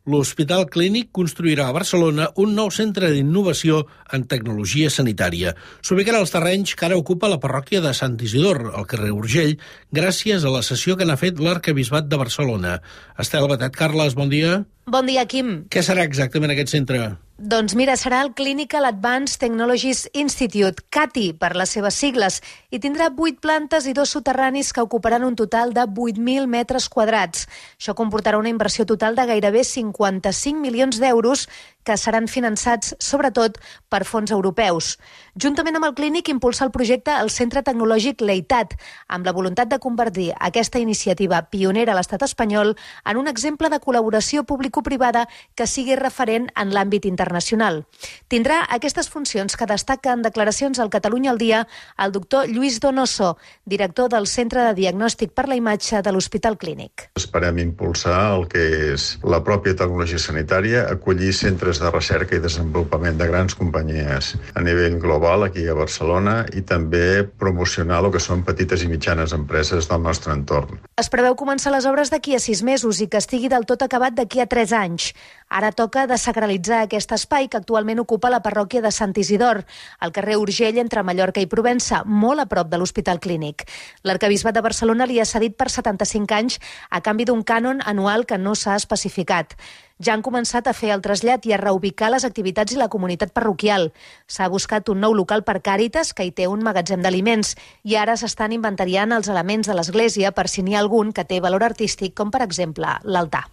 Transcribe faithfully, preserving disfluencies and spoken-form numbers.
L'Hospital Clínic construirà a Barcelona un nou centre d'innovació en tecnologia sanitària. S'ubicarà als terrenys que ara ocupa la parròquia de Sant Isidor, al carrer Urgell, gràcies a la cessió que n'ha fet l'Arquebisbat de Barcelona. Estel Batet, Carles, bon dia. Bon dia, Quim. Què serà exactament aquest centre? Doncs mira, serà el Clinical Advanced Technologies Institute, C A T I per les seves sigles, i tindrà vuit plantes i dos soterranis que ocuparan un total de vuit mil metres quadrats. Això comportarà una inversió total de gairebé cinquanta-cinc milions d'euros que seran finançats, sobretot, per fons europeus. Juntament amb el clínic, impulsa el projecte el Centre Tecnològic Leitat, amb la voluntat de convertir aquesta iniciativa pionera a l'estat espanyol en un exemple de col·laboració público-privada que sigui referent en l'àmbit internacional. Tindrà aquestes funcions que destaca en declaracions al Catalunya al Dia el doctor Lluís Donoso, director del Centre de Diagnòstic per la Imatge de l'Hospital Clínic. Esperem impulsar el que és la pròpia tecnologia sanitària, acollir centres de recerca i desenvolupament de grans companyies a nivell global aquí a Barcelona i també promocionar el que són petites i mitjanes empreses del nostre entorn. Es preveu començar les obres d'aquí a sis mesos i que estigui del tot acabat d'aquí a tres anys. Ara toca desacralitzar aquest espai que actualment ocupa la parròquia de Sant Isidor, al carrer Urgell entre Mallorca i Provença, molt a prop de l'Hospital Clínic. L'Arquebisbat de Barcelona li ha cedit per setanta-cinc anys a canvi d'un cànon anual que no s'ha especificat. Ja han començat a fer el trasllat i a reubicar les activitats i la comunitat parroquial. S'ha buscat un nou local per Càritas, que hi té un magatzem d'aliments, i ara s'estan inventariant els elements de l'església per si n'hi ha algun que té valor artístic, com per exemple l'altar.